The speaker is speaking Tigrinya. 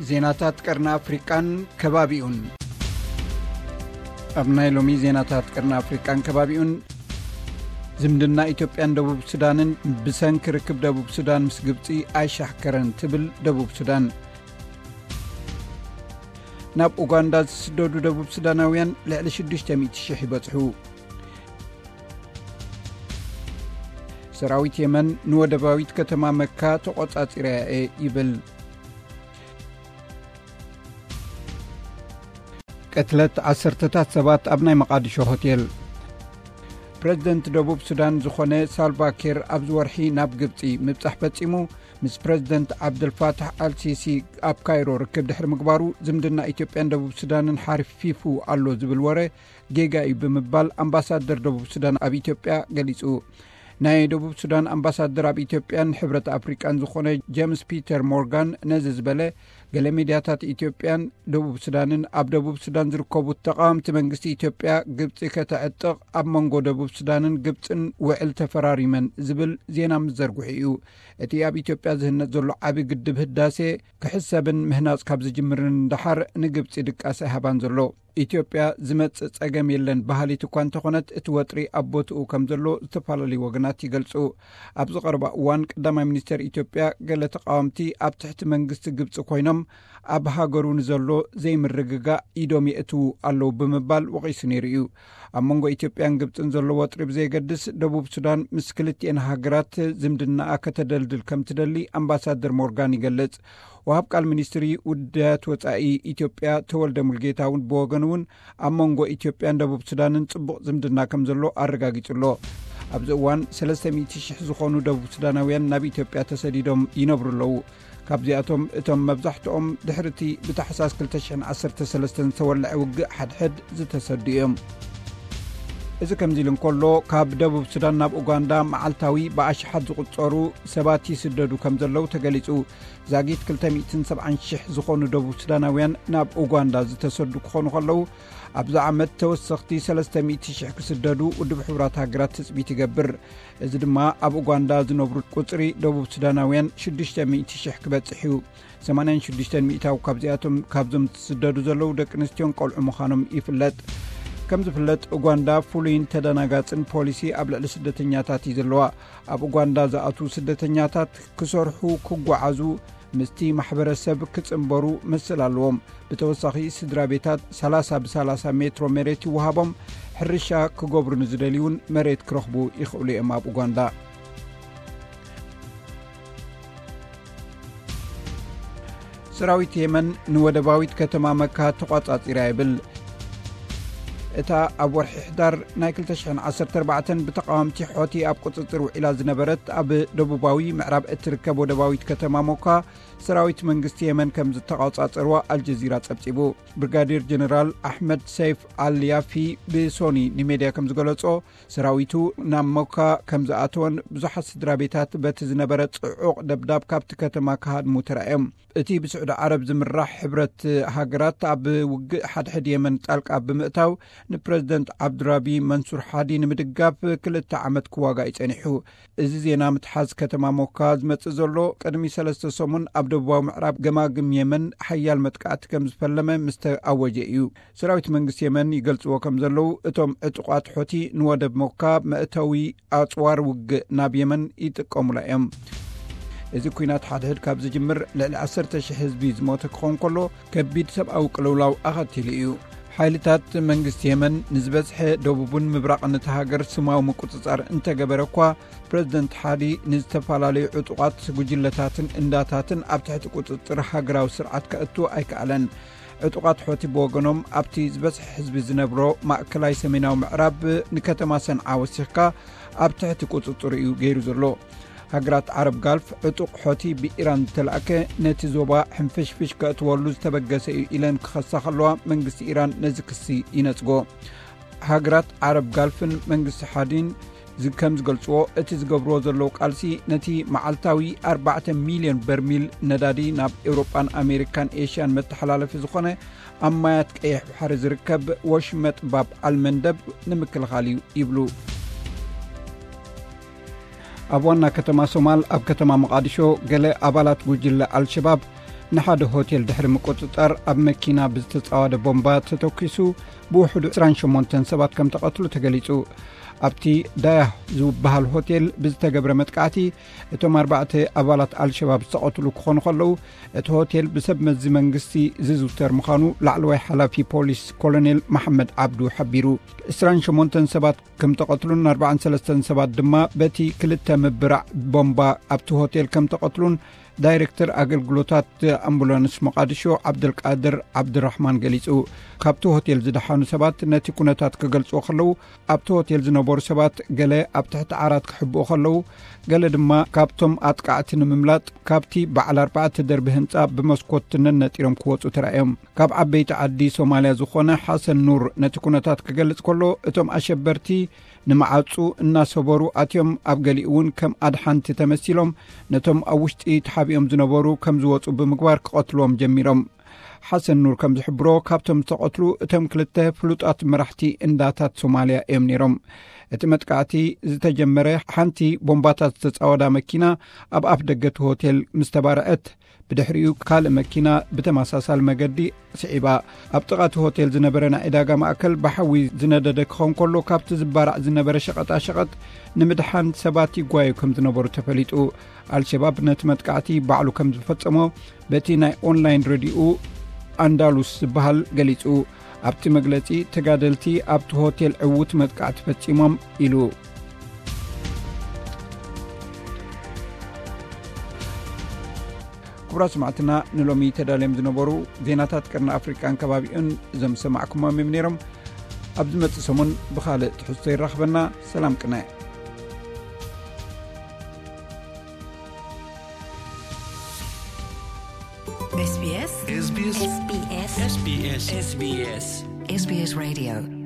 ዜናታት ቀርኒ ኣፍሪቃን ከባቢኡን። ኣብ ናይ ሎሚ ዜናታት ቀርኒ ኣፍሪቃን ከባቢኡን፣ ዝምድና ኢትዮጵያን ደቡብ ሱዳንን ብሰንኪ ርክብ ደቡብ ሱዳን ምስ ግብጺ ኣይሻሕከረን ትብል ደቡብ ሱዳን። ናብ ኡጋንዳ ዝስደዱ ደቡብ ሱዳናውያን ልዕሊ ሽዱሽተ ሚእቲ ሽሕ ይበጽሑ። ሰራዊት የመን ንወደባዊት ከተማ መካ ተቖጻጺረያ እየ ይብል። ቅትለት ዓሰርተታት ሰባት ኣብ ናይ መቓድሾ ሆቴል። ፕረዚደንት ደቡብ ሱዳን ዝኾነ ሳልቫ ኪር ኣብዚ ወርሒ ናብ ግብጺ ምብጻሕ ፈጺሙ፣ ምስ ፕረዚደንት ዓብደልፋታሕ ኣልሲሲ ኣብ ካይሮ ርክብ ድሕሪ ምግባሩ፣ ዝምድና ኢትዮጵያን ደቡብ ሱዳንን ሓርፊፉ ኣሎ ዝብል ወረ ጌጋ እዩ ብምባል ኣምባሳደር ደቡብ ሱዳን ኣብ ኢትዮጵያ ገሊጹ። ናይ ደቡብ ሱዳን ኣምባሳደር ኣብ ኢትዮጵያን ሕብረት ኣፍሪቃን ዝኾነ ጀምስ ፒተር ሞርጋን ነዚ ዝበለ፣ ገለ ሚድያታት ኢትዮጵያን ደቡብ ሱዳንን ኣብ ደቡብ ሱዳን ዝርከቡ ተቓወምቲ መንግስቲ ኢትዮጵያ ግብጺ ከተዕጥቕ ኣብ መንጎ ደቡብ ሱዳንን ግብጽን ውዕል ተፈራሪመን ዝብል ዜና ምስ ዘርግሑ እዩ። እቲ ኣብ ኢትዮጵያ ዝህነጽ ዘሎ ዓቢ ግድብ ህዳሴ ክሕሰብን ምህናጽ ካብ ዝጅምርን ደሓር ንግብጺ ድቃስ ኣይሃባን ዘሎ። ኢትዮጵያ ዝመጽእ ጸገም የለን በሃሊት እኳ እንተኾነት፣ እቲ ወጥሪ ኣብ ቦትኡ ከም ዘሎ ዝተፈላለዩ ወገናት ይገልጹ። ኣብዚ ቀረባ እዋን ቀዳማይ ሚኒስተር ኢትዮጵያ፣ ገለ ተቓወምቲ ኣብ ትሕቲ መንግስቲ ግብጺ ኮይኖም ኣብ ሃገሩ ንዘሎ ዘይምርግጋእ ኢዶም የእትዉ ኣለዉ ብምባል ወቒሱ ነይሩ እዩ። ኣብ መንጎ ኢትዮጵያን ግብጽን ዘሎ ወጥሪ ብዘየገድስ፣ ደቡብ ሱዳን ምስ ክልቲኤን ሃገራት ዝምድናኣ ከተደልድል ከም ትደሊ ኣምባሳደር ሞርጋን ይገልጽ። ወሃብ ቃል ሚኒስትሪ ውዳያት ወጻኢ ኢትዮጵያ ተወልደ ሙልጌታ እውን ብወገኑ እውን ኣብ መንጎ ኢትዮጵያን ደቡብ ሱዳንን ጽቡቕ ዝምድና ከም ዘሎ ኣረጋጊጹ ኣሎ። ኣብዚ እዋን ሰለስተ ሚእቲ ሽሕ ዝኾኑ ደቡብ ሱዳናውያን ናብ ኢትዮጵያ ተሰዲዶም ይነብሩ ኣለዉ። ካብዚኣቶም እቶም መብዛሕትኦም ድሕሪ እቲ ብታሕሳስ ክልተ ሽሕን ዓሰርተ ሰለስተን ዝተወልዐ ውግእ ሓድሕድ ዝተሰዱ እዮም። እዚ ከምዚ ኢሉ እንከሎ፣ ካብ ደቡብ ሱዳን ናብ ኡጋንዳ መዓልታዊ ብኣሽሓት ዝቑጸሩ ሰባት ይስደዱ ከም ዘለዉ ተገሊጹ። ዛጊት ክልተ ሚእትን ሰብዓን ሽሕ ዝኾኑ ደቡብ ሱዳናውያን ናብ ኡጋንዳ ዝተሰዱ ክኾኑ ከለዉ፣ ኣብዚ ዓመት ተወሰኽቲ ሰለስተ ሚእቲ ሽሕ ክስደዱ ውድብ ሕቡራት ሃገራት ትጽቢት ይገብር። እዚ ድማ ኣብ ኡጋንዳ ዝነብሩ ቁጽሪ ደቡብ ሱዳናውያን ሽዱሽተ ሚእቲ ሽሕ ክበጽሕ እዩ። ሰማንያን ሽዱሽተን ሚእታዊ ካብዚኣቶም፣ ካብዞም ዝስደዱ ዘለዉ ደቂ ኣንስትዮን ቆልዑ ምዃኖም ይፍለጥ። ከም ዝፍለጥ፣ ኡጋንዳ ፍሉይን ተደናጋጽን ፖሊሲ ኣብ ልዕሊ ስደተኛታት እዩ ዘለዋ። ኣብ ኡጋንዳ ዝኣትዉ ስደተኛታት ክሰርሑ፣ ክጓዓዙ፣ ምስቲ ማሕበረሰብ ክጽንበሩ መሰል ኣለዎም። ብተወሳኺ፣ ስድራ ቤታት ሰላሳ ብሰላሳ ሜትሮ መሬት ይወሃቦም። ሕርሻ ክገብሩ ንዝደልዩ እውን መሬት ክረኽቡ ይኽእሉ እዮም። ኣብ ኡጋንዳ፣ ሰራዊት የመን ንወደባዊት ከተማ መካ ተቋጻጺራ ይብል። እታ ኣብ ወርሒ ሕዳር ናይ ክልተ ሽሕን ዓሰርተ ኣርባዕተን ብተቓወምቲ ሖቲ ኣብ ቁጽጽር ውዒላ ዝነበረት ኣብ ደቡባዊ ምዕራብ እትርከብ ወደባዊት ከተማ ሞካ፣ ሰራዊት መንግስቲ የመን ከም ዝተቋጻጸርዋ ኣልጀዚራ ጸብጺቡ። ብርጋዴር ጀነራል ኣሕመድ ሰይፍ ኣልያፊ ብሶኒ ንሜድያ ከም ዝገለጾ፣ ሰራዊቱ ናብ ሞካ ከም ዝኣተወን ብዙሓት ስድራ ቤታት በቲ ዝነበረ ጽዑቕ ደብዳብ ካብቲ ከተማ ክሃድሙ ተራእዮም። እቲ ብስዑዲ ዓረብ ዝምራሕ ሕብረት ሃገራት ኣብ ውግእ ሓድሕድ የመን ጣልቃ ብምእታው፣ ንፕረዚደንት ዓብዱራቢ መንሱር ሓዲ ንምድጋፍ ክልተ ዓመት ክዋጋእ እዩ ጸኒሑ። እዚ ዜና ምትሓዝ ከተማ ሞካ ዝመጽእ ዘሎ፣ ቅድሚ ሰለስተ ሰሙን ኣብ ደቡባዊ ምዕራብ ገማግም የመን ሓያል መጥቃዕቲ ከም ዝፈለመ ምስ ተኣወጀ እዩ። ሰራዊት መንግስቲ የመን ይገልጽዎ ከም ዘለዉ፣ እቶም ዕጡቓት ሖቲ ንወደብ ሞካ መእተዊ ኣጽዋር ውግእ ናብ የመን ይጥቀሙላ እዮም። እዚ ኲናት ሓድሕድ ካብ ዝጅምር ልዕሊ ዓሰርተ ሽሕ ህዝቢ ዝሞተ ክኸውን ከሎ፣ ከቢድ ሰብኣዊ ቅልውላው ኣኸቲሉ እዩ። ሓይልታት መንግስቲ የመን ንዝበዝሐ ደቡብን ምብራቕን እታ ሃገር ስማዊ ምቁጽጻር እንተገበረ እኳ፣ ፕረዚደንት ሓዲ ንዝተፈላለዩ ዕጡቓት ጉጅለታትን እንዳታትን ኣብ ትሕቲ ቁጽጽር ሃገራዊ ስርዓት ከእቱ ኣይከኣለን። ዕጡቓት ሖቲ ብወገኖም፣ ኣብቲ ዝበዝሐ ህዝቢ ዝነብሮ ማእከላይ ሰሜናዊ ምዕራብ ንከተማ ሰንዓ ወሲኽካ ኣብ ትሕቲ ቁጽጽሩ እዩ ገይሩ ዘሎ። ሃገራት ዓረብ ጋልፍ፣ ዕጡቕ ሖቲ ብኢራን ዝተላእከ ነቲ ዞባ ሕንፍሽፍሽ ከእትወሉ ዝተበገሰ እዩ ኢለን ክኸሳ ከለዋ፣ መንግስቲ ኢራን ነዚ ክሲ ይነጽጎ። ሃገራት ዓረብ ጋልፍን መንግስቲ ሓዲን ዝ-፣ ከም ዝገልጽዎ፣ እቲ ዝገብርዎ ዘለዉ ቃልሲ ነቲ መዓልታዊ ኣርባዕተ ሚልዮን በርሚል ነዳዲ ናብ ኤውሮጳን ኣሜሪካን ኤሽያን መተሓላለፊ ዝኾነ ኣብ ማያት ቀይሕ ባሕሪ ዝርከብ ወሽመጥ ባብ ኣልመንደብ ንምክልኻል እዩ ይብሉ። ኣብ ዋና ከተማ ሶማል፣ ኣብ ከተማ መቓዲሾ፣ ገለ ኣባላት ጉጅለ ኣልሸባብ ንሓደ ሆቴል ድሕሪ ምቁጽጻር፣ ኣብ መኪና ብዝተጻወደ ቦምባ ተተኲሱ ብውሕዱ ዕስራን ሸሞንተን ሰባት ከም ተቐትሉ ተገሊጹ። ኣብቲ ዳያህ ዝበሃል ሆቴል ብዝተገብረ መጥቃዕቲ፣ እቶም ኣርባዕተ ኣባላት ኣልሸባብ ዝተቐትሉ ክኾኑ ከለዉ፣ እቲ ሆቴል ብሰብ መዚ መንግስቲ ዝዝውተር ምዃኑ ላዕለዋይ ሓላፊ ፖሊስ ኮሎኔል መሓመድ ዓብዱ ሓቢሩ። ዕስራን ሸሞንተን ሰባት ከም ተቐትሉን ኣርባዓን ሰለስተን ሰባት ድማ በቲ ክልተ ምብራዕ ቦምባ ኣብቲ ሆቴል ከም ተቐትሉን ዳይሬክተር ኣገልግሎታት ኣምቡላንስ ሞቓድሾ ዓብደልቃድር ዓብድራሕማን ገሊጹ። ካብቲ ሆቴል ዝደሓኑ ሰባት ነቲ ኩነታት ክገልጽዎ ከለዉ፣ ኣብቲ ሆቴል ዝነበሩ ሰባት ገለ ኣብ ትሕቲ ዓራት ክሕብኡ ከለዉ፣ ገለ ድማ ካብቶም ኣጥቃዕቲ ንምምላጥ ካብቲ በዓል ኣርባዕተ ደርቢ ህንጻ ብመስኮት ነነጢሮም ክወጹ ተራእዮም። ካብ ዓበይቲ ዓዲ ሶማልያ ዝኾነ ሓሰን ኑር ነቲ ኩነታት ክገልጽ ከሎ፣ እቶም ኣሸበርቲ ንመዓጹ እናሰበሩ ኣትዮም፣ ኣብ ገሊኡ እውን ከም ኣድሓንቲ ተመሲሎም ነቶም ኣብ ውሽጢ ተሓቢኦም ዝነበሩ ከም ዝወጹ ብምግባር ክቐትልዎም ጀሚሮም። ሓሰን ኑር ከም ዝሕብሮ፣ ካብቶም ዝተቐትሉ እቶም ክልተ ፍሉጣት መራሕቲ እንዳታት ሶማልያ እዮም ነይሮም። እቲ መጥቃዕቲ ዝተጀመረ ሓንቲ ቦምባታት ዝተጻወዳ መኪና ኣብ ኣፍ ደገ እቲ ሆቴል ምስ ተባርዐት፣ ብድሕሪኡ ካልእ መኪና ብተመሳሳሊ መገዲ ስዒባ። ኣብ ጥቓ እቲ ሆቴል ዝነበረ ናይ ዕዳጋ ማእከል ብሓዊ ዝነደደ ክኸውን ከሎ፣ ካብቲ ዝባራዕ ዝነበረ ሸቐጣሸቐጥ ንምድሓን ሰባት ይጓዩ ከም ዝነበሩ ተፈሊጡ። ኣልሸባብ ነቲ መጥቃዕቲ ባዕሉ ከም ዝፈጸሞ በቲ ናይ ኦንላይን ሬድዮኡ ኣንዳሉስ ዝበሃል ገሊጹ። ኣብቲ መግለጺ፣ ተጋደልቲ ኣብቲ ሆቴል ዕዉት መጥቃዕቲ ፈጺሞም ኢሉ። ክቡራት ሰማዕትና፣ ንሎሚ ተዳልዮም ዝነበሩ ዜናታት ቀርኒ ኣፍሪቃን ከባቢኡን እዞም ዝሰማዕኩሞም እዮም ነይሮም። ኣብ ዝመጽእ ሰሙን ብኻልእ ትሕዝቶ ይራኽበና። ሰላም ቅነ። SBS SBS SBS SBS SBS SBS Radio